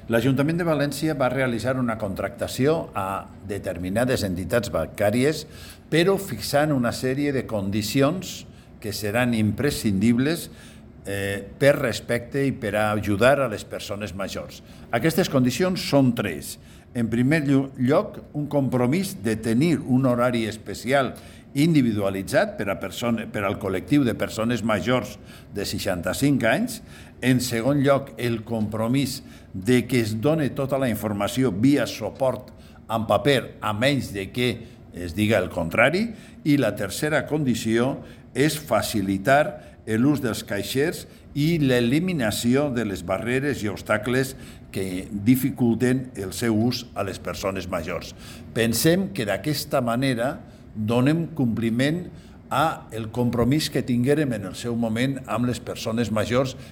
L'Ajuntament de València va realitzar una contractació a determinades entitats bancàries, però fixant una sèrie de condicions que seran imprescindibles per respecte i per ajudar a les persones majors. Aquestes condicions són tres. En primer lloc, un compromís de tenir un horari especial individualitzat per al col·lectiu de persones majors de 65 anys. En segon lloc, el compromís de que es doni tota la informació via suport en paper, a menys de que es diga el contrari. I la tercera condició és facilitar l'ús dels caixers i l'eliminació de les barreres i obstacles que dificulten el seu ús a les persones majors. Pensem que d'aquesta manera donem compliment al compromís que tinguérem en el seu moment amb les persones majors